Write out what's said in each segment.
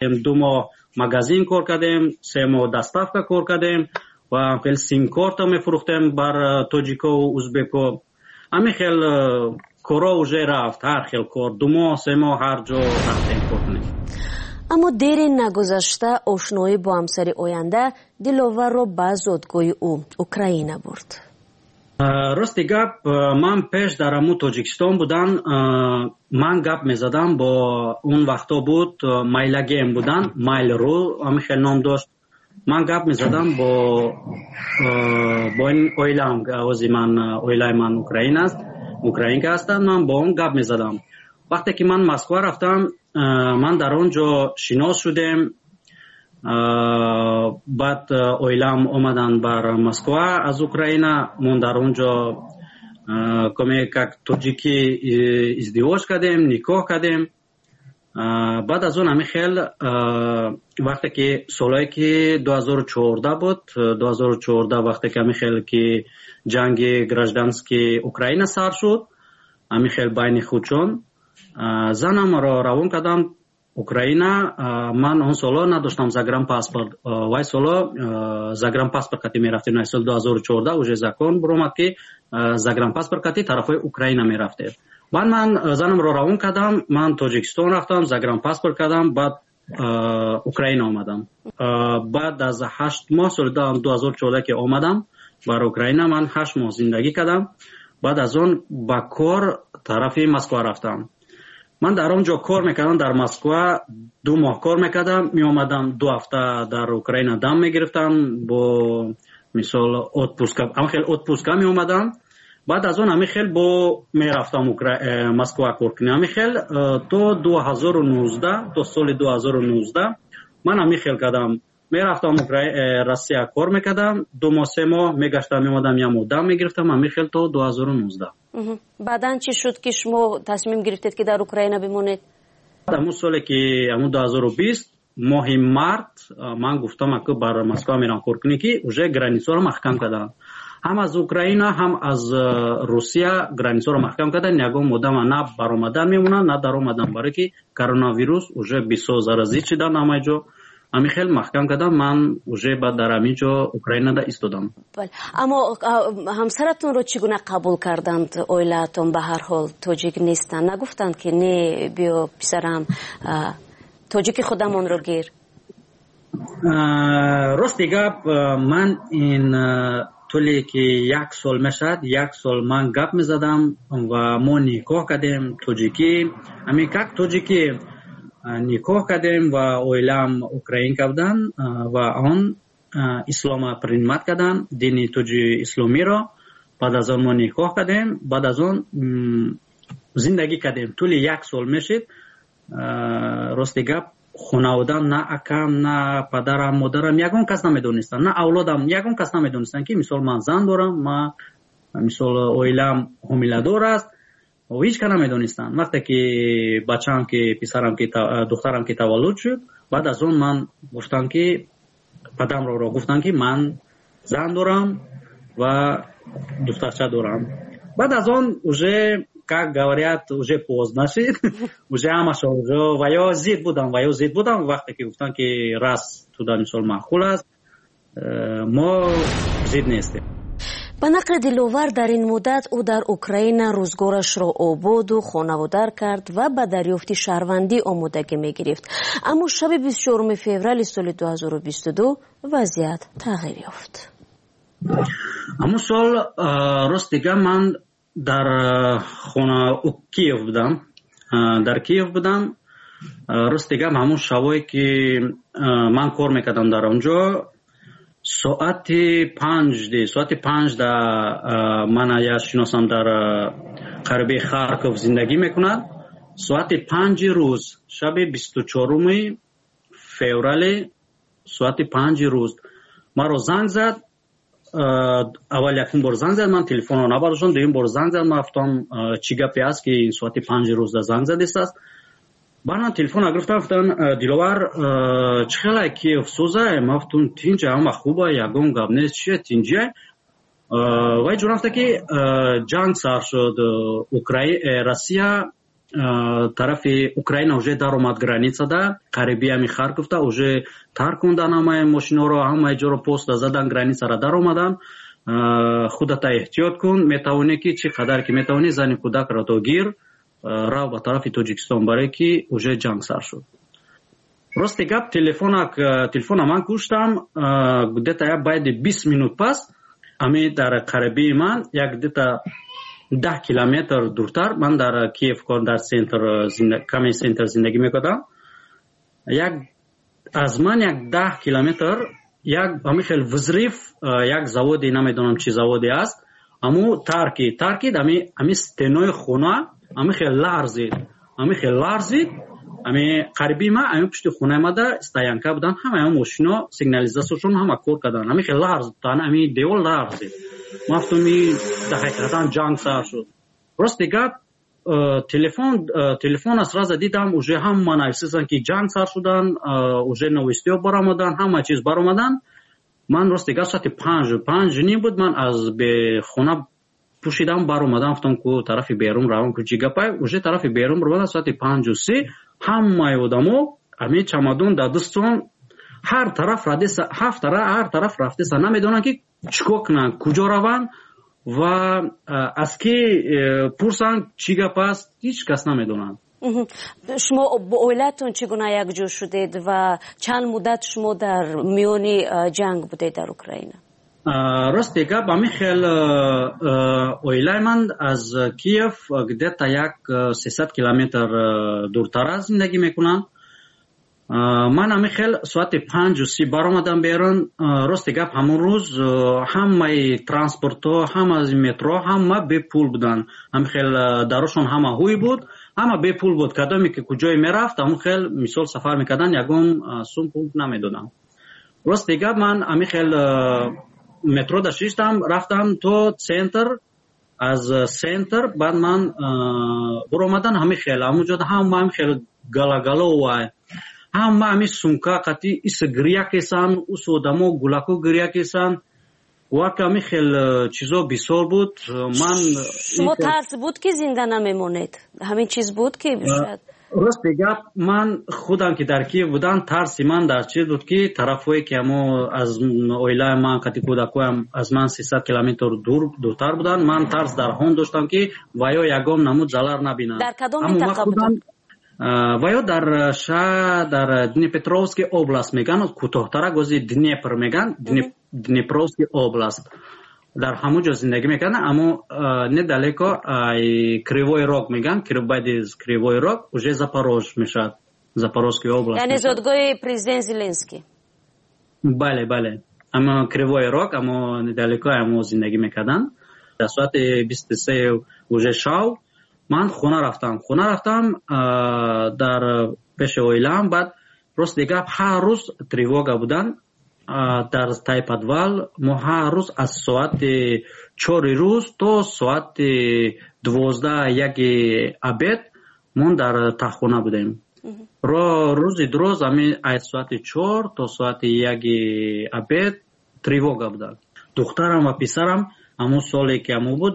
2 моҳ магазин кор кардем, 3 моҳ доставка кор кардем ва хел симкорта мефурӯхтем бар тоҷикову узбеко. Ҳамин хел корҳо уже рафт, ҳар хел кор, 2 моҳ, 3 моҳ ҳар ҷо рафтем кор кунем. Аммо дери нагузашта ошноӣ бо ҳамсари оянда Диловарро ба зодгоҳи ӯ, Украина, бурд. Рости гап, ман пеш дар ҳамун Тоҷикистон будан, ман гап мезадам бо, он вақтҳо буд Майлагем будан, Mail.ru ҳамин хел ном дошт. Ман гап мезадам бо ин оилаам, ози ман оилаи ман Украина аст, украинка ҳастанд. Ман бо он гап мезадам. Вақте ки ман Москва рафтам, ман дар он ҷо шинос шудем. Баъд оилаам омаданд бар Москва аз Украина. Мо дар он ҷо коме как тоҷикӣ издивоҷ кардем, никоҳ кардем. Баъд аз он ҳамин хел вақте ки солҳое ки 2014 буд, 2014, вақте ки ҳамин хел ки ҷанги гражданский Украина сар шуд, ҳамин хел байни худшон, занамро равон кардам Украина. Ман он солҳо надоштам загранпаспорт. Вай солҳо загранпаспорт кати мерафтем. Соли 2014 уже закон буромад, ки загранпаспорт кати тарафҳои Украина мерафтем. Баъд ман занамро равон кардам, ман Тоҷикистон рафтам, загранпаспорт кардам, баъд Украина омадам. Баъд аз 8 моҳ, соли 2014 ки омадам бар Украина, ман 8 моҳ зиндагӣ кардам. Баъд аз он ба кор тарафи Москва рафтам. Ман дар он ҷо кор мекардам, дар Москва 2 моҳ кор мекардам, меомадам, 2 ҳафта дар Украина дам мегирифтам, бо мисол отпуска, ҳамин хел отпуска меомадам. Баъд аз он ҳамин хел бо мерафтам Москва кор кунем. Ҳамин хел то 2019, то соли 2019 ман ҳамин хел кардам. Мерафтам Россия, кор мекардам 2 моҳ, 3 моҳ, мегаштам, меомадам, як моҳ дам мегирифтам, ҳамин хел то 2019. Баъдан чӣ шуд, ки шумо тасмим гирифтед, ки дар Украина бимонед? Ҳамун соле ки ҳамун 2020 моҳи март ман гуфтам, аку бар Москва мерам кор кунӣ, ки уже границаро маҳкам карданд, ҳам аз Украина, ҳам аз Русия границаро маҳкам карданд. Ягон одама на баромадан мемонад, на даромадан, барое ки коронавирус уже бисёр заразӣ шидан ҳамаи ҷо. Ҳамин хел маҳкам кардам, ман уже баъд дар ҳамин ҷо Украинада истодам. Аммо ҳамсаратонро чӣ гуна қабул карданд оилаатон? Ба ҳар ҳол тоҷик нестанд. Нагуфтанд, ки не, биё, писарам, тоҷики худамонро гир? Рости гап, ман ин тӯле ки як сол мешавад, як сол ман гап мезадам ва мо никоҳ кардем тоҷикӣ, ҳамин как тоҷикӣ никоҳ кардем ва оилаам украинка буданд ва он ислома принимать карданд, дини тоҷи исломиро. Баъд аз он мо никоҳ кардем, баъд аз он зиндагӣ кардем. Тӯли як сол мешид. Рости гап, хонаводам, на акам, на падарам, модарам, ягон кас намедонистанд, на авлодам, ягон кас намедонистанд, ки мисол ман зан дорам, ма мисол оилаам ҳомиладор аст. Ҳеҷ кас намедонистанд. Вақте ки бачаам, ки писарам, ки духтарам ки таваллуд шуд, баъд аз он ман гуфтам, ки падарамро гуфтам, ки ман зан дорам ва духтарча дорам. Баъд аз он уже, как говорят, уже поздно шид, уже ҳамаша ва ё зид будам, ва ё зид будам. Вақте ки гуфтам, ки раз туда мисол маъқул аст, мо зид нестем. Ба нақли Диловар, дар ин муддат ӯ дар Украина рӯзгорашро ободу хонаводар кард ва ба дарёфти шаҳрвандӣ омодагӣ мегирифт. Аммо шаби 24 феврали соли 2022 вазъият тағйир ёфт. Ҳамун сол, рост дига, ман дар хона Киев будам, дар Киев будам. Рост дигам, ҳамун шабое ки ман кор мекардам дар он ҷо, соати 5 да ман як шиносам дар қариби Харков зиндагӣ мекунад. Соати 5-и рӯз, шаби 24-уми феврали, соати 5-и рӯз маро занг зад. Аввал якум бор занг зад, ман телефонро набардоштам. Дуюм бор занг зад, ман гуфтам, чӣ гапе аст, ки соати 5-и рӯзда занг задистааст? Баъд ман телефонро гирифтам, гуфтам: «Диловар, чӣ хелай, Киев созай?» Ман гуфтам: «Тинҷа, ҳама хуба, ягон гап нест, чия, тинҷия». Вай ҷо рафта, ки ҷанг сар шуд, Россия Тарафи Украина уже даромад, границада қариби ҳами Харковда уже таркондан ҳамаи мошиноро, ҳамаи ҷоро поста задан, границара даромадан. Худата эҳтиёт кун, метавонӣ ки чӣ қадар ки метавонӣ, зани кӯдакро то гир, рав ба тарафи Тоҷикистон, барое ки уже ҷанг сар шуд. Рости гап, телефона ман куштам. Где-то як баъди 20 минут пас ами дар қарибии ман, як где-то 10 километр дуртар, ман дар Киев, дар центр, каме центр зиндагӣ мекардам, як аз ман як 10 километр як ҳамин хел взрыв, як заводе, намедонам чӣ заводе аст, аму таркид, ами стенои хона ҳамин хел ларзид, ҳамин хел ларзид. Ами қариби ма, ами пушти хонаи мада стоянка будан, ҳамаи мошино сигнализатсияшон ҳама кор кардан, ҳамин хел ларз, ами девор ларзид. Ман гуфтам, дар ҳақиқатан ҷанг сар шуд. Рости гап, телефона сразу дидам, уже ҳама нависистанд, ки ҷанг сар шудан, уже новостиҳо баромадан, ҳама чиз баромадан. Ман, рости гап, соати 5, 5:30 буд, ман аз хона пӯшидам, баромадам, гуфтам, ку тарафи берун равам, ку чӣ гапай. Уже тарафи берун баромадам соати 5:30, ҳамаи одамо ҳамин чамадон дар дастон, ҳар тараф радеса, ҳар тараф рафтеса, намедонанд, ки чӣ кор кунанд, куҷо раванд ва аз кӣ пурсанд, чӣ гап аст, ҳеҷ кас намедонанд. Шумо бо оилаатон чӣ гуна якҷо шудед ва чанд муддат шумо дар миёни ҷанг будед дар Украина? Рости гап, ҳамин хел оилаи ман аз Киев где-то як 300 километр дуртара зиндагӣ мекунанд. Ман ҳамин хел соати 5:30 баромадам берун. Рости гап, ҳамон рӯз ҳамаи транспортҳо, ҳамаи метро, ҳама бепул буданд. Ҳамин хел дарошон ҳама ҳуй буд, ҳама бепул буд. Кадоме ки куҷое мерафт, ҳамон хел мисол сафар мекарданд, ягон сум пул намедоданд. Рости гап, ман ҳамин хел метрода шиштам, рафтам то центр. Аз центр баъд ман буромадан, ҳамин хел ҳамон ҷода ҳама ҳамин хел галагаловай, ҳама ҳамин сумка қати ис гиря кесан, ус одамо гулако гиря кесан, вака ҳамин хел чизо бисёр буд. Ман Шумо тарс буд, ки зинда намемонед? Ҳамин чиз буд, ки шояд? Рости гап, ман худам ки дар Киев будам, тарси ман дар чиз буд, ки тарафҳое ки ҳамо аз оилаи ман қати кӯдакҳоям аз ман 300 километр дуртар буданд. Ман тарс дар ҳон доштам, ки ваё ягон намуд залар набинанд. Дар кадом минтақа буданд? Ваё дар шаҳр, дар Днепропетровский область меган, кӯтоҳтарак ози Днепр меган, Днепровский область, дар ҳамон ҷо зиндагӣ мекарданд. Аммо недалеко Кривой Рог меган, баъди Кривой Рог уже Запорож мешавад, Запорожский область. Яъне зодгоҳи президент Зеленский. Бале, амо Кривой Рог, амо недалеко амо зиндагӣ мекарданд. Дар соати 23 уже шав ман хона рафтам дар пеши оилаам. Баъд, рости гап, ҳар рӯз тревога будан дар тай подвал. Мо ҳар рӯз аз соати 4 рӯз то соати 12, 1 обед мо дар таххона будем. Рӯзи дуроз ами аз соати 4 то соати 1 обед тревога буданд. Духтарам ва писарам ҳамон соле ки ҳамон буд,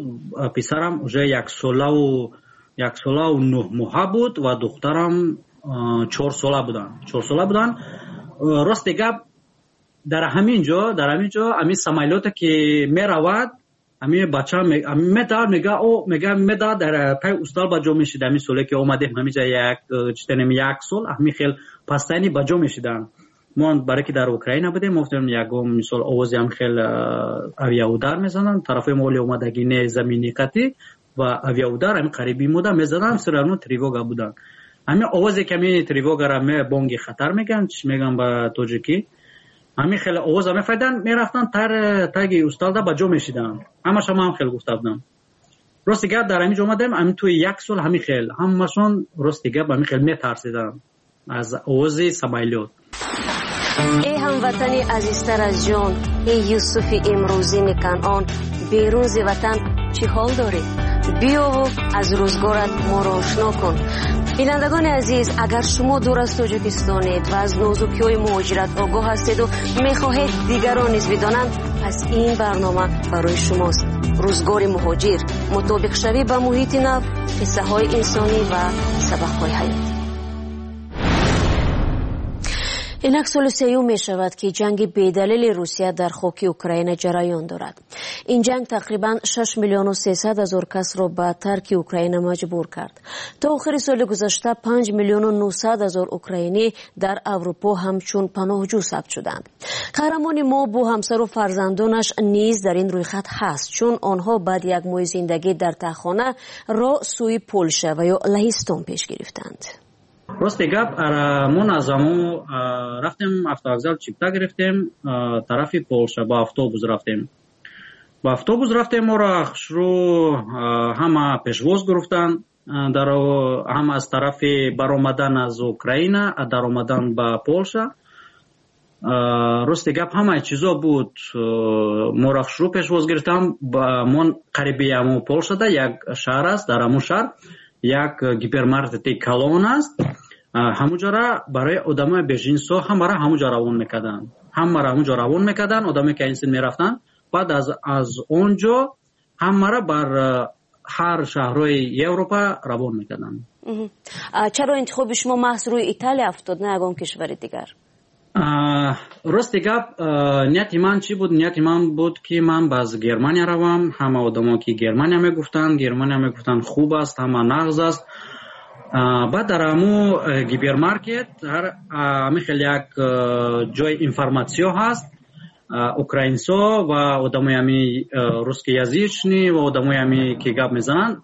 писарам уже яксолаву 9 моҳа буд ва духтарам 4 сола буданд, 4 сола буданд. Рости гап, дар ҳамин ҷо ҳамин самолёте ки меравад, ҳамин бача медавад, мега, о, мега, медавад, дар пай устал ба ҷо мешид. Ҳамин соле ки омадем ҳаминҷа, як читанем, як сол ҳамин хел постоянно ба ҷо мешиданд. Мо барое ки дар Украина будем, мо гуфтем, ягон мисол овози ҳам хел авиаудар мезананд, тарафҳои мо оли омадагӣ не, замини қатӣ ва авиаудар ҳамин қариби мода мезананд, все равно тревога буданд. Ҳамин овозе ки ҳамин тревогара, бонги хатар мегӯянд, чӣ мегӯянд ба тоҷикӣ, ҳамин хеле овоза мефаҳмиданд, мерафтанд, таги усталда ба ҷо мешиданд. Ҳамаша ман хел гуфта будам. Рости гап, дар ҳамин ҷо омадем, ҳамин тӯи як сол ҳамин хел ҳамашон, рости гап, ҳамин хел метарсиданд аз овози самолёт. Эй ҳамватани азизтар аз ҷон, эй Юсуфи имрӯзини Канъон, берун зи ватан чӣ ҳол дорӣ? Биёву аз рӯзгорат моро ошно кун. Бинандагони азиз, агар шумо дур аз Тоҷикистонед ва аз нозукиҳои муҳоҷират огоҳ ҳастеду мехоҳед дигарон низ бидонанд, пас ин барнома барои шумост. Рӯзгори муҳоҷир, мутобиқшавӣ ба муҳити нав, қиссаҳои инсонӣ ва сабақҳои ҳаёт. Инак соли сеюм мешавад, ки ҷанги бедалили Русия дар хоки Украина ҷараён дорад. Ин ҷанг тақрибан 6 миллиону 300 ҳазор касро ба тарки Украина маҷбур кард. То охири соли гузашта 5 миллиону 900 ҳазор украинӣ дар Аврупо ҳамчун паноҳҷӯ сабт шуданд. Қаҳрамони мо бо ҳамсару фарзандонаш низ дар ин рӯйхат ҳаст, чун онҳо баъди як моҳи зиндагӣ дар таҳхона роҳ сӯи Полша ва ё Лаҳистон пеш гирифтанд. Рости гап, мо аз амо рафтем автовокзал, чипта гирифтем, тарафи Полша ба автобус рафтем. Ба автобус рафтем, моро хушрӯ ҳама пешвоз гирифтанд, ҳам аз тарафи баромадан аз Украина, даромадан ба Полша. Рости гап, ҳамаи чизо буд, моро хушрӯ пешвоз гирифтанд. Мо қариби амо Полшада як шаҳр аст, дар ҳамун шаҳр як гипермаркети калон аст. Ҳамуҷора барои одамои беженсо ҳамаро ҳамуҷо равон мекарданд, ҳамаро ҳамуҷо равон мекарданд, одамое ки инсин мерафтанд. Баъд аз он ҷо ҳамаро бар ҳар шаҳрҳои Европа равон мекарданд. Чаро интихоби шумо маҳз рӯи Италия афтод, на ягон кишвари дигар? Рости гап, нияти ман чӣ буд? Нияти ман буд, ки ман ба Германия равам. Ҳама одамо ки Германия мегуфтанд, Германия мегуфтанд хуб аст, ҳама нағз аст. Баъд дар ҳаму гипермаркет ҳами хел як ҷои информатсиё ҳаст, украинсо ва одамои ҳами русскоязычный ва одамои ҳами ки гап мезананд,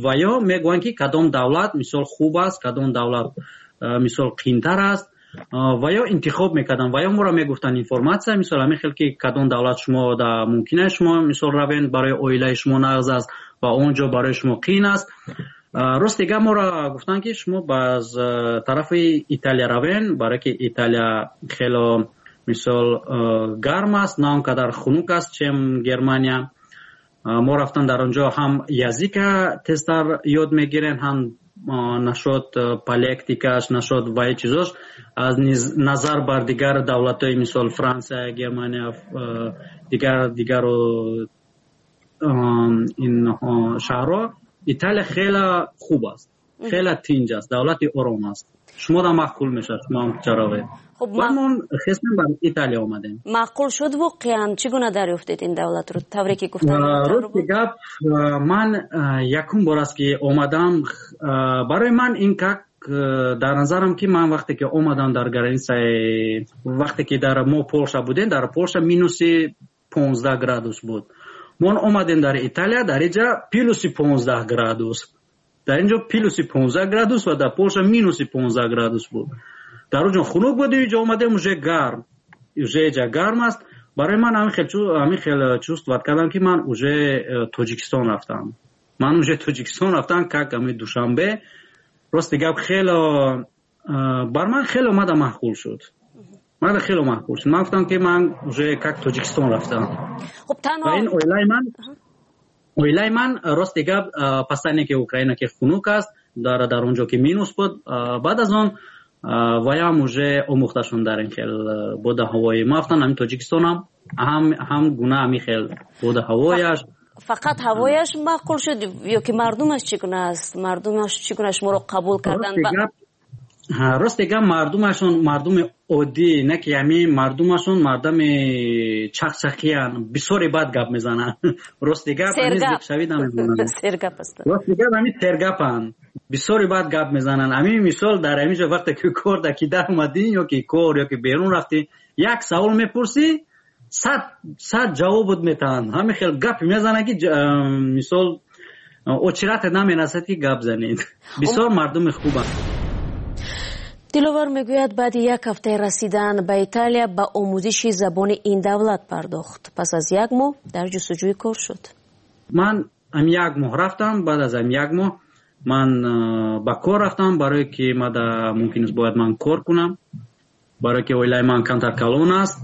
ва ё мегӯянд, ки кадом давлат мисол хуб аст, кадом давлат мисол қиинтар аст, ва ё интихоб мекарданд, ва ё моро мегуфтанд информатсия, мисол ҳамин хел ки кадом давлат шумо мумкин аст шумо мисол равед, барои оилаи шумо нағз аст ва он ҷо барои шумо қиин аст. Рости гап, моро гуфтанд, ки шумо ба тарафи Италия равен, барое ки Италия хело мисол гарм аст, на он қадар хунук аст, чем Германия. Мо рафтан дар он ҷо ҳам язык а тезтар ёд мегирем, ҳам нашод политика ш, нашод ваи чизош аз назар бар дигар давлатҳои, мисол Франсия, Германия, дигар дигару ин шаҳрҳо Италия хеле хуб аст, хеле тинҷ аст, давлати ором аст, шуморо маъқул мешавад, шумоам чаровед. Баъд мо хестем, ба Италия омадем. Маъқул шуд воқеан? Чӣ гуна дарёфтед ин давлатро, тавре ки гуфтам? Рости гап, ман якум бор аст, ки омадам. Барои ман ин как дар назарам, ки ман вақте ки омадам дар граница и, вақте ки дар мо Полша будем, дар Полша минуси 15 градус буд. Мо омадем дар Италия, дар инҷа плюси 15 градус, дар инҷо плюси 15 градус ва дар Полша минуси 15 градус буд. Дар он ҷо хунук буд, инҷо омадем, уже гарм, уже инҷа гарм аст. Барои ман ҳамин хел чувствовать кардам, ки ман уже Тоҷикистон рафтам, ман уже Тоҷикистон рафтам, как ами Душанбе. Рости гап, хело бар ман хело мада маъқул шуд, мада хело маъқул шуд. Ман гуфтам, ки ман уже как Тоҷикистон рафтам. Ва ин оилаи ман, рости гап, пасане ки Украина ки хунук аст, дар он ҷо ки минус буд, баъд аз он ваям уже омӯхташон дар ин хел бода ҳавои. Ма гуфтам, ҳамин Тоҷикистонам ҳам гуна ҳамин хел бода ҳавояш. Фақат ҳавояш маъқул шуд ё ки мардумаш чӣ гуна аст? Мардумаш чӣ гуна шуморо қабул карданд? Рости гап, мардумашон мардуми оддӣ, не ки ҳамин мардумашон мардами чақчақиян, бисёре бад гап мезананд. Рости гап, зиқшавӣ намезананд. Рости гап, ҳамин сергапанд, бисёре бад гап мезананд. Ҳамин мисол дар ҳамин ҷо вақте ки кор да ки даромадӣ ё ки кор ё ки берун рафтӣ, як савол мепурсӣ, 100 100 ҷавобут метаҳанд. Ҳамин хел гапе мезананд, ки мисол очередь ате намерасад, ки гап занед. Бисёр мардуми хубанд. Диловар мегӯяд, баъди як ҳафтаи расидан ба Италия ба омӯзиши забони ин давлат пардохт. Пас аз як моҳ дар ҷустуҷӯи кор шуд. Ман ам як моҳ рафтам. Баъд аз ам як моҳ ман ба кор рафтам, барое ки мада мумкин аст бояд ман кор кунам, барое ки оилаи ман камтар калон аст.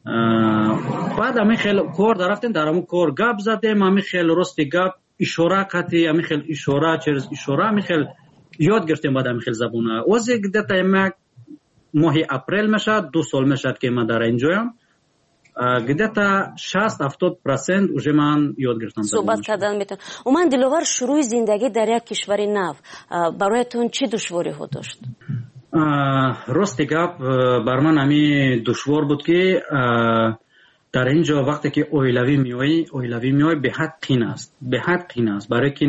Баъд ҳамин хел кор дарафтем, дар ҳамун кор гап задем, ҳамин хел, рости гап, ишора қати, ҳамин хел ишора, через ишора ҳамин хел ёд гирифтем. Баъд ҳамин хел забона озе где-то як моҳи апрел мешавад, 2 сол мешавад, ки ман дар инҷоям. Где-то 60-70% уже ман ёд гирифтам. Суҳбат кардан метавон. Умуман, Диловар, шурӯи зиндагӣ дар як кишвари нав бароятон чӣ душвориҳо дошт? Рости гап, бар ман ҳами душвор буд, ки дар ин ҷо вақте ки оилавӣ меоӣ, оилавӣ меоӣ, беҳад қин аст, беҳад қин аст, барое ки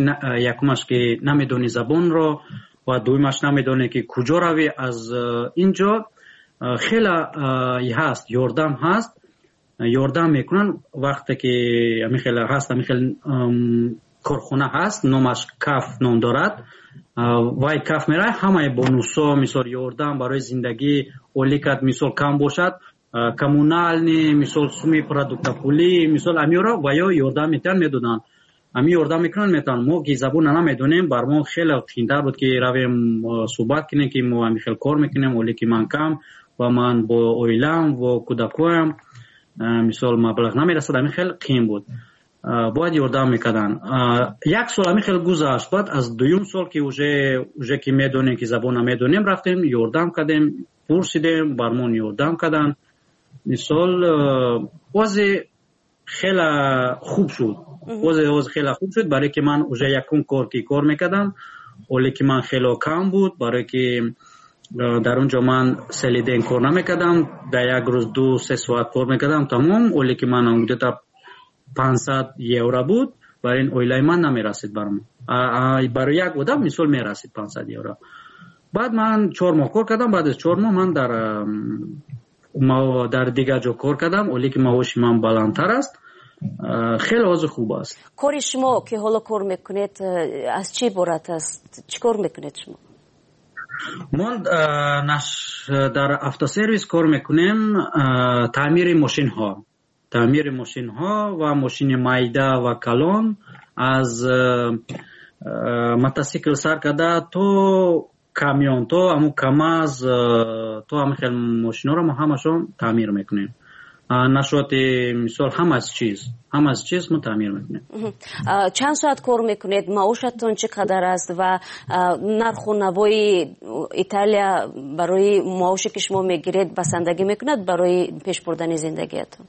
якумаш, ки намедонӣ забонро, ва дуюмаш, намедонӣ, ки куҷо равӣ. Аз ин ҷо хеле ҳаст, ёрдам ҳаст, ёрдам мекунанд. Вақте ки ҳамин хел ҳаст, ҳамин хел корхона ҳаст, номаш КАФ ном дорад. Вай КАФ меравад, ҳамаи бонусо, мисол, ёрдам барои зиндагӣ, оликат, мисол, кам бошад, коммунальный, мисол, суми продукта, пулӣ, мисол, амиро ва ё ёрдам метиҳанд, медоданд, ами ёрдам мекунанд, метавонанд. Мо ки забонро намедонем, бар мо хеле қиинтар буд, ки равем, суҳбат кунем, ки мо ҳамин хел кор мекунем, оле ки ман кам ва ман бо оилаам ва кӯдакҳоям, мисол, маблағ намерасад. Ҳамин хел қиин буд, бояд ёрдам мекарданд. Як сол ҳамин хел гузашт. Баъд аз дуюм сол, ки уже ки медонем, ки забонро медонем, рафтем, ёрдам кардем, пурсидем, бар мон ёрдам карданд. Мисол, озе хеле хуб шуд, озе хеле хуб шуд, барое ки ман уже якум кор ки кор мекардам, оле ки ман хело кам буд, барое ки дар он ҷо ман целый день кор намекардам, дар як рӯз 2-3 соат кор мекардам, тамом. Оле ки ман где-то 500 евро буд, барои ин оилаи ман намерасид. Барои як одам, мисол, мерасид 500 евро. Баъд ман 4 моҳ кор кардам. Баъд аз 4 моҳ ман дар дигар ҷо кор кардам, оле ки маоши ман баландтар аст, хеле ҳозир хуб аст. Кори шумо, ки ҳоло кор мекунед, аз чӣ иборат аст? Чӣ кор мекунед шумо? Мо дар автосервис кор мекунем, таъмири мошинҳо, таъмири мошинҳо ва мошини майда ва калон, аз мотосикл сар карда то камён, то ҳамун КамАЗ, то ҳамин хел мошинҳоро мо ҳамашон таъмир мекунем. Нашоти, мисол, ҳама чиз мо таъмир мекунем. Чанд соат кор мекунед, маошатон чӣ қадар аст ва нарху навои Италия барои маоше, ки шумо мегиред, басандагӣ мекунад барои пеш бурдани зиндагиятон?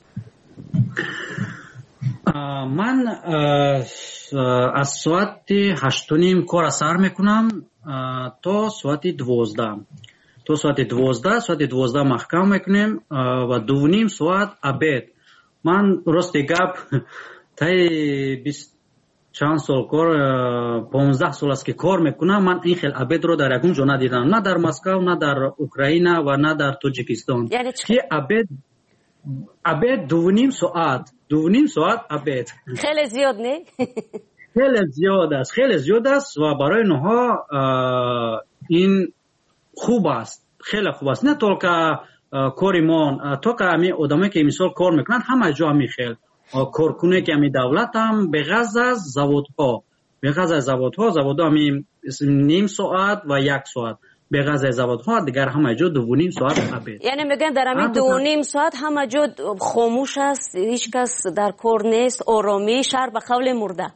Ман аз соати 8:30 кора сар мекунам то соати 12, то соати 12. Соати 12 маҳкам мекунем ва 2:30 соат обед. Ман, рости гап, таи бист чанд сол кор, 15 сол аст, ки кор мекунам, ман ин хел обедро дар ягон ҷо надидам, на дар Москав, на дар Украина ва на дар Тоҷикистон, ки обед 2:30 соат, 2:30 соат обед. Хеле зиёд, не? Хеле зиёд аст, хеле зиёд аст ва барои онҳо ин хуб аст, хеле хуб аст. Не только кори мо, только ҳами одамое, ки мисол кор мекунанд, ҳама ҷо ҳами хел коркуне, ки ҳами давлатам, беғаз аз заводҳо, беғаз аз заводҳо. Заводҳо ҳами ним соат ва як соат, беғаз аз заводҳо дигар ҳама ҷо 2:30 соат обед. Яъне мегӯянд, дар ҳамин 2:30 соат ҳама ҷо хомӯш аст, ҳеҷ кас дар кор нест, оромӣ, шаҳр ба қавле мурда.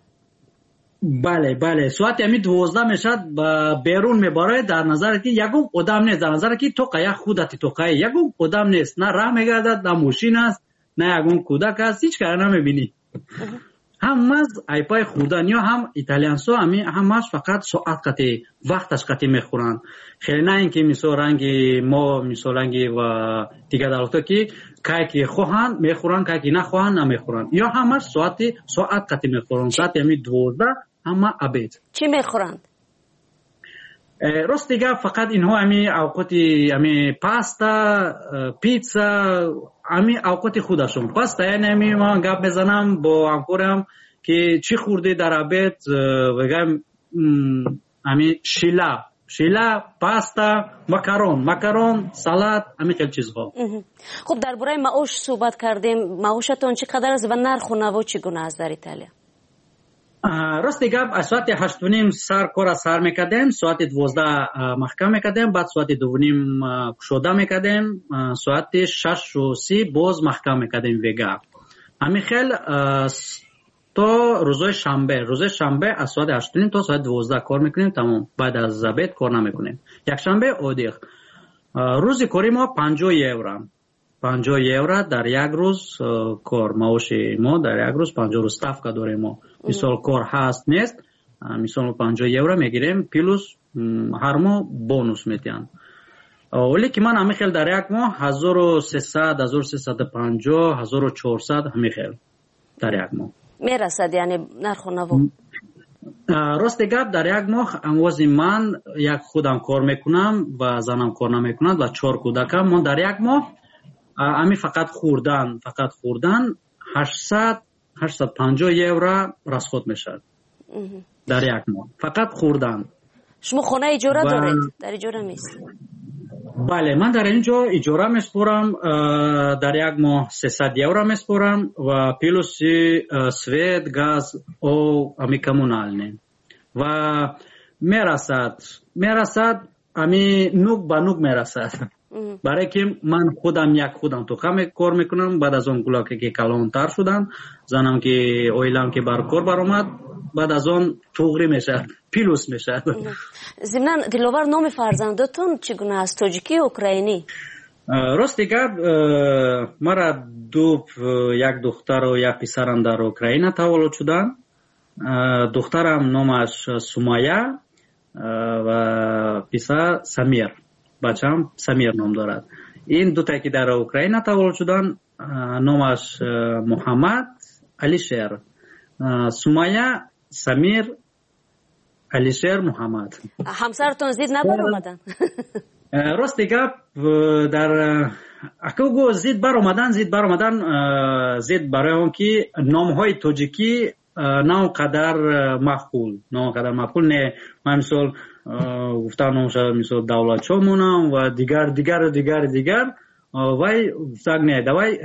Бале, соати ҳами 12 мешавад, берун мебарояд, дар назаре ки ягон одам нест, дар назаре ки тоқа як худати тоқаи, ягон одам нест, на раҳ мегардад, на мошин аст, на ягон кӯдак аст, ҳеҷ кара намебинӣ. Ҳамаз айпай хӯрдан ё ҳам италиянсо ҳамаш фақат соат қати, вақташ қати мехӯранд. Хеле на ин ки, мисол, ранги мо, мисол, ранги ва дигар давлатҳо, ки кай ки хоҳанд мехӯранд, кай ки нахоҳанд намехӯранд. Ё ҳамаш соати соат қати мехӯранд. Соати ҳами 12 ҳама обед. Чӣ мехӯранд? Рости гап, фақат инҳо ҳами авқоти ҳами паста, питса, ҳами авқоти худашон паста. Яъне ҳами ман гап мезанам бо ҳамкорам, ки чӣ хӯрдӣ дар обед, мегӯям, ҳами шила шила, паста, макарон, макарон, салат, ҳамин хел чизҳо. Хуб, дар бораи маош суҳбат кардем. Маошатон чӣ қадар аст ва нарху наво чӣ гуна аст дар Италия? Рости гап, аз соати 8:30 сар кора сар мекардем, соати 12 маҳкам мекардем, баъд соати 2:30 кушода мекардем, соати 6:30 боз маҳкам мекардем вега. Ҳамин хел то рӯзои шанбе. Рӯзои шанбе аз соати 8:30 то соати 12 кор мекунем, тамом. Баъд аз обед кор намекунем. Якшанбе отдых. Рӯзи кори мо 50 евро. 50 евро дар як рӯз кор. Маоши мо дар як рӯз 50 рӯз ставка дорем мо. Мисол, кор ҳаст, нест, мисол, 50 евро мегирем, плюс ҳар моҳ бонус метиҳанд. Оле ки ман ҳамин хел дар як моҳ 1300, 1350, 1400, ҳамин хел дар як моҳ. Мерасад, яъне, нарху наво? Рости гап, дар як моҳ амвози ман як худам кор мекунам ва занам кор намекунад ва чор кӯдакам. Мо дар як моҳ ами фақат хӯрдан, фақат хӯрдан 800, 850 евро расход мешавад дар як моҳ, фақат хӯрдан. Шумо хона иҷора доред, дар иҷора меистед? Бале, ман дар ин ҷо иҷора меспорам, дар як моҳ 300 евро меспорам ва плюси свет, газ, об, ами коммунальный. Ва мерасад, мерасад, ами нук ба нук мерасад, барое ки ман худам як худам тоқа кор мекунам. Баъд аз он кӯдаке ки калонтар шуданд, занам ки, оилам ки бар кор баромад, баъд аз он туғрӣ мешавад, плюс мешавад. Зимнан, Диловар, номи фарзандотон чӣ гуна аст, тоҷикӣ ё украинӣ? Рости гап, мара ду, як духтару як писарам дар Украина таваллуд шуданд. Духтарам номаш Сумая ва писар Самир, бачаам Самир ном дорад. Ин дутае ки дар Украина таваллуд шуданд, номаш Муҳаммад, Алишер. Сумая, Самир, Алишер, Муҳаммад. Ҳамсаратон зид набаромаданд? Рости гап, дар акого зид баромадан, зид баромадан, зид барои он ки номҳои тоҷикӣ на он қадар маъқул, на он қадар маъқул не. Ман, мисол, гуфтам, номша, мисол, Давлатшо монам ва дигар, дигару дигар, дигар. Вай гуфтак: «Не, давай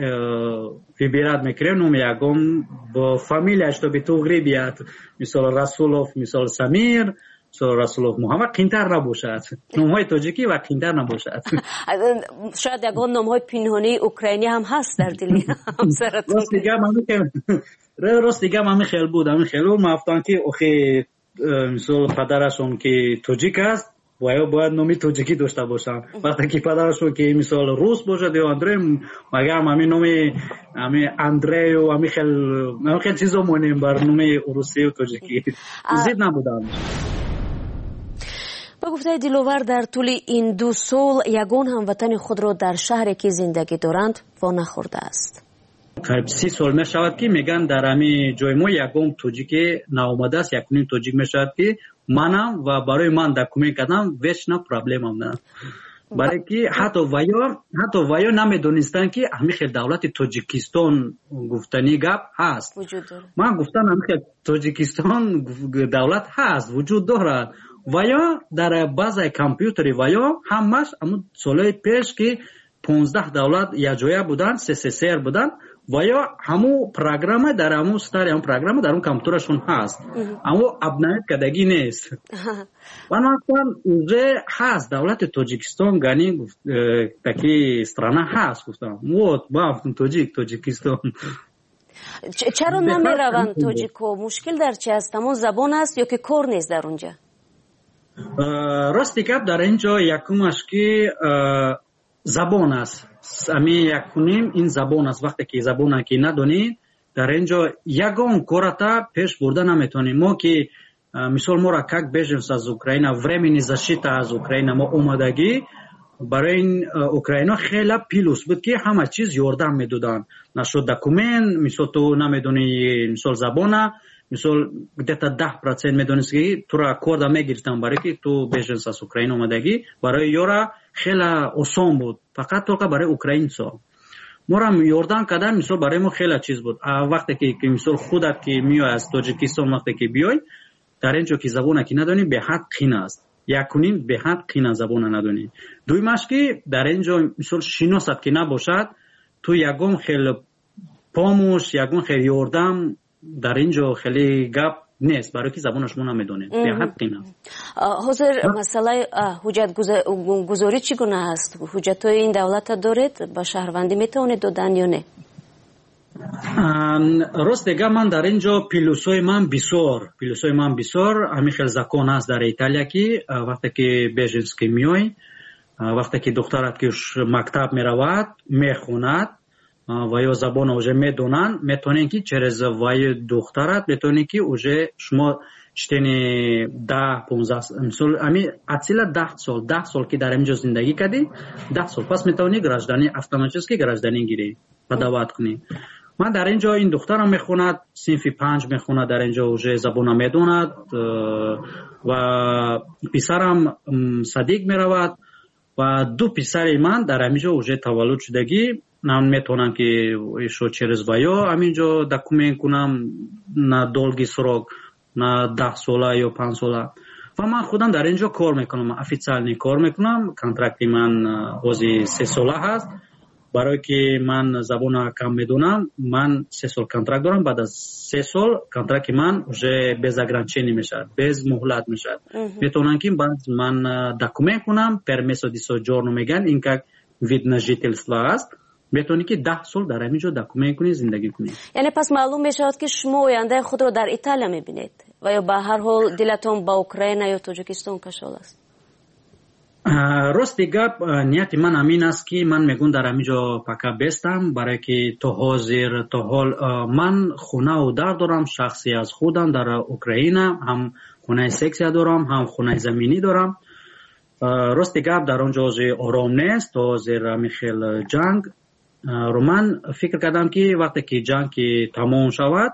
выбирать мекунем номи ягон бо фамилия, чтобы туғри бият». Мисол, Расулов, мисол, Самир, мисол, Расулов Муҳаммад қинтар набошад, номҳои тоҷикӣ ва қинтар набошад. Шояд ягон номҳои пинҳонии украинӣ ҳам ҳаст дар дили ҳамсаратон. Рости гап, ҳамин хел буд, ҳамин хел буд. Ман гуфтам ки охи, мисол, падарашон ки тоҷик аст, ва ё бояд номи тоҷикӣ дошта бошанд. Вақте ки падарашон ки, мисол, рус бошад ё Андрей, магарам ҳамин номи ҳами Андрею ҳамин хел чизо монем бар номи русию тоҷикӣ. Зид набудам. Ба гуфтаи Диловар, дар тӯли ин 2 сол ягон ҳамватани худро дар шаҳре ки зиндагӣ доранд во нахӯрдааст. Қариб 30 сол мешавад, ки мегӯянд, дар ҳамин ҷои мо ягон тоҷике наомадааст. Якуним тоҷик мешавад, ки манам ва барои ман документ кардам, вечно проблемам на, барое ки ҳатто ваё намедонистанд, ки ҳамин хел давлати Тоҷикистон гуфтанӣ гап ҳаст. Ман гуфтам, ҳамин хел Тоҷикистон давлат ҳаст, вуҷуд дорад. Ваё дар базаи компютери ваё ҳамаш ҳамун солҳои пеш, ки 15 давлат якҷоя буданд, СССР буданд, ва ё ҳамун программа дар ҳамун старый ҳамун программа дар он компютерашон ҳаст, аммо обновить кардагӣ нест. Ва ман гуфтам, уже ҳаст давлати Тоҷикистон, гани таки страна ҳаст, гуфтам. Вот ман гуфтам, тоҷик, Тоҷикистон. Чаро намераванд тоҷикҳо? Мушкил дар чи аст? Ҳамон забон аст ё ки кор нест дар он ҷа? Рости гап, дар ин ҷо якумаш ки забон аст. Ами якуним ин забон аст. Вақте ки забона ки надонӣ, дар ин ҷо ягон кората пеш бурда наметавонӣ. Мо ки, мисол, моро как беженец аз Украина, временный защита аз Украина мо омадагӣ, барои ин украино хела плюс буд, ки ҳама чиз ёрдам медоданд нашуд документ. Мисол, ту намедонӣ, мисол, забона, мисол, где-то 10% медонист, ки тура корда мегирифтанд, барое ки ту беженец аз Украина омадагӣ. Барои ёра хела осон буд, фақат только барои украинцо морам ёрдам кардан. Мисол, барои мо хела чиз буд. А вақте ки, мисол, худат ки меой аз Тоҷикистон, вақте ки биёй дар ин ҷо, ки забона ки надонӣ, беҳад қин аст. Якуним беҳад қин аст забона надонӣ. Дуюмаш ки дар ин ҷо, мисол, шиносат ки набошад, ту ягон хел помощь, ягон хел ёрдам дар ин ҷо хеле гап нест, барое ки забона шумо намедонед, беҳад қин аст. Ҳозир масъалаи ҳуҷҷатгузорӣ чӣ гуна аст? Ҳуҷҷатҳои ин давлата доред, ба шаҳрвандӣ метавонед додан ё не? Росте гап, ман дар ин ҷо плюсҳои ман бисёр, плюсҳои ман бисёр. Ҳамин хел закон аст дар Италия, ки вақте ки беженец ки меой, Вақте ки духтарат ки мактаб меравад, мехонад ва ё забонро уже медонанд, метавонед ки через ваи духтарат метавонед ки уже шумо чтени 10, 15, мисол, ами от сила 10 сол, 10 сол ки дар ҳамин ҷо зиндагӣ кардӣ, 10 сол пас метавонӣ гражданӣ, автоматически гражданин гирӣ, подавать кунӣ. Ман дар ин ҷо ин духтарам мехонад, синфи панҷ мехонад, дар ин ҷо уже забона медонад, ва писарам садик меравад ва ду писари ман дар ҳамин ҷо уже таваллуд шудагӣ. Ман метавонам ки ишо через ваё ҳамин ҷо документ кунам на долгий срок, на 10 сола ё 5 сола. Ва ман худам дар ин ҷо кор мекунам, официально кор мекунам. Контракти ман ҳози 3 сола ҳаст. Барое ки ман забона кам медонам, ман 3 сол контракт дорам. Баъд аз 3 сол контракти ман уже без ограничение мешавад, без муҳлат мешавад. Метавонам ки баъд ман документ кунам, permesso di soggiorno мегӯянд, ин как вид на жительство аст. Метавонӣ ки 10 сол дар ҳамин ҷо документ кунӣ, зиндагӣ кунӣ. Яъне пас маълум мешавад, ки шумо ояндаи худро дар Италия мебинед ва ё ба ҳар ҳол дилатон ба Украина ё Тоҷикистон кашол аст? Рости гап, нияти ман ҳамин аст, ки ман мегӯм дар ҳамин ҷо пока бестам, барое ки то ҳозир, то ҳол ман хонаву дар дорам шахсӣ аз худам дар Украина, ҳам хонаи сексия дорам, ҳам хонаи заминӣ дорам. Рости гап, дар он ҷо ҳозир ором нест, то ҳозир ҳамин хел ҷанг. Ман фикр кардам, ки вақте ки ҷанг ки тамом шавад,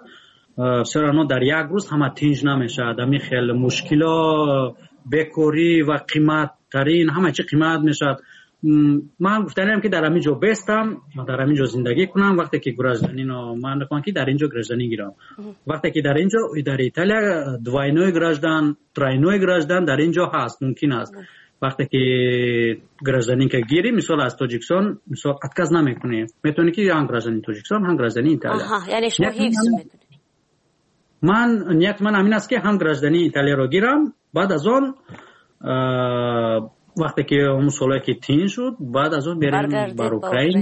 все равно дар як рӯз ҳама тинҷ намешавад. Ҳамин хел мушкило, бекорӣ ва қиматтарин, ҳама чи қимат мешавад. Ман гуфтанем, ки дар ҳамин ҷо бестам, дар ҳамин ҷо зиндагӣ кунам. Вақте ки гражданино ман мехоҳам, ки дар ин ҷо гражданин гирам. Вақте ки дар ин ҷо, дар Италия, двойной граждан, тройной граждан дар ин ҷо ҳаст, мумкин аст. Вақте ки гражданинка гирӣ, мисол, аз Тоҷикистон, мисол, отказ намекунӣ, метавонӣ ки ҳам гражданини Тоҷикистон, ҳам гражданини Италия. Яъне шумо ҳифз мекунед. Ман нияти ман ҳамин аст, ки ҳам гражданини Италияро гирам, баъд аз он вақте ки он солое ки тинҷ шуд, баъд аз он берем бар Украина,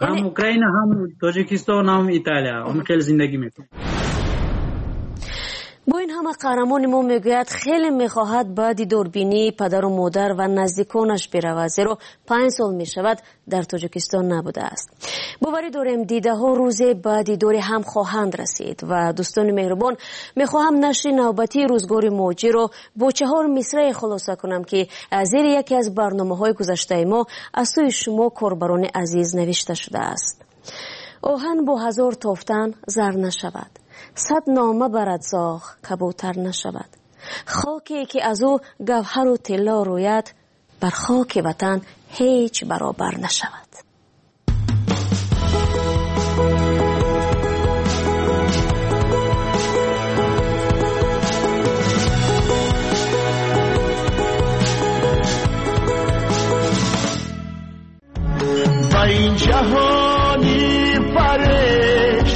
ҳам Украина, ҳам Тоҷикистон, ҳам Италия, он хеле зиндагӣ мекунем. Бо ин ҳама қаҳрамони мо мегӯяд, хеле мехоҳад ба дидорбинии падару модар ва наздиконаш биравад, зеро 5 сол мешавад дар Тоҷикистон набудааст. Боварӣ дорем, дидаҳо рӯзе ба дидори ҳам хоҳанд расид. Ва дӯстони меҳрубон, мехоҳам нашри навбатии Рӯзгори муҳоҷирро бо чаҳор мисрае хулоса кунам, ки зери яке аз барномаҳои гузаштаи мо аз сӯи шумо, корбарони азиз, навишта шудааст: «Оҳан бо ҳазор тофтан зар нашавад, сад нома барад зоғ кабутар нашавад, хоке ки аз ӯ гавҳару тилло рӯяд, бар хоки ватан ҳеҷ баробар нашавад». Ба ин ҷаҳони фареш,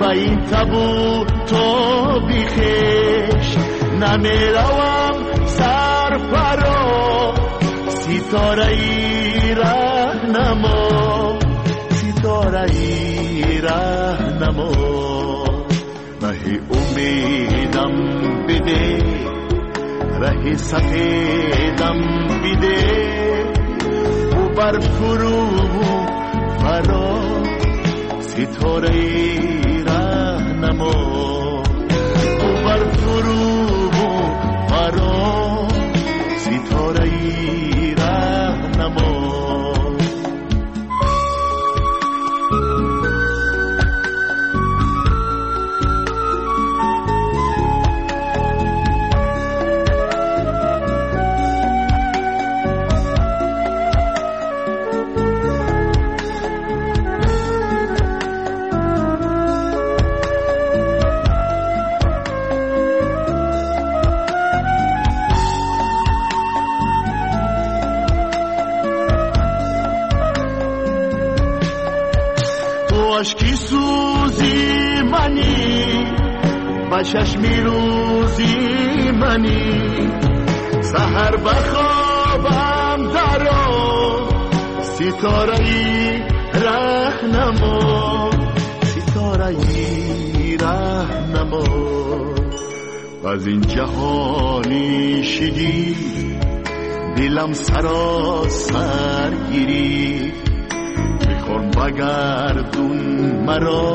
ба ин табу тоби хеш намеравам сарфаро, ситораи раҳнамо, ситораи раҳнамо, раҳи умедам биде, раҳи сафедам биде, бар фурӯ фаро, ситораи раҳнамо, бар фурӯ фаро, ситораи раҳнамо. Ашки сӯзи манӣ, ба чашми рӯзи манӣ, саҳар ба хобам даро, ситораи раҳнамо, ситораи раҳнамо. Аз ин ҷаҳони шигифт Дилам саросар гирифт, бихор багардун маро,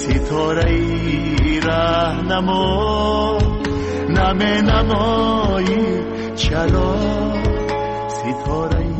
ситораи раҳнамо. Наменамоӣ чаро, ситораи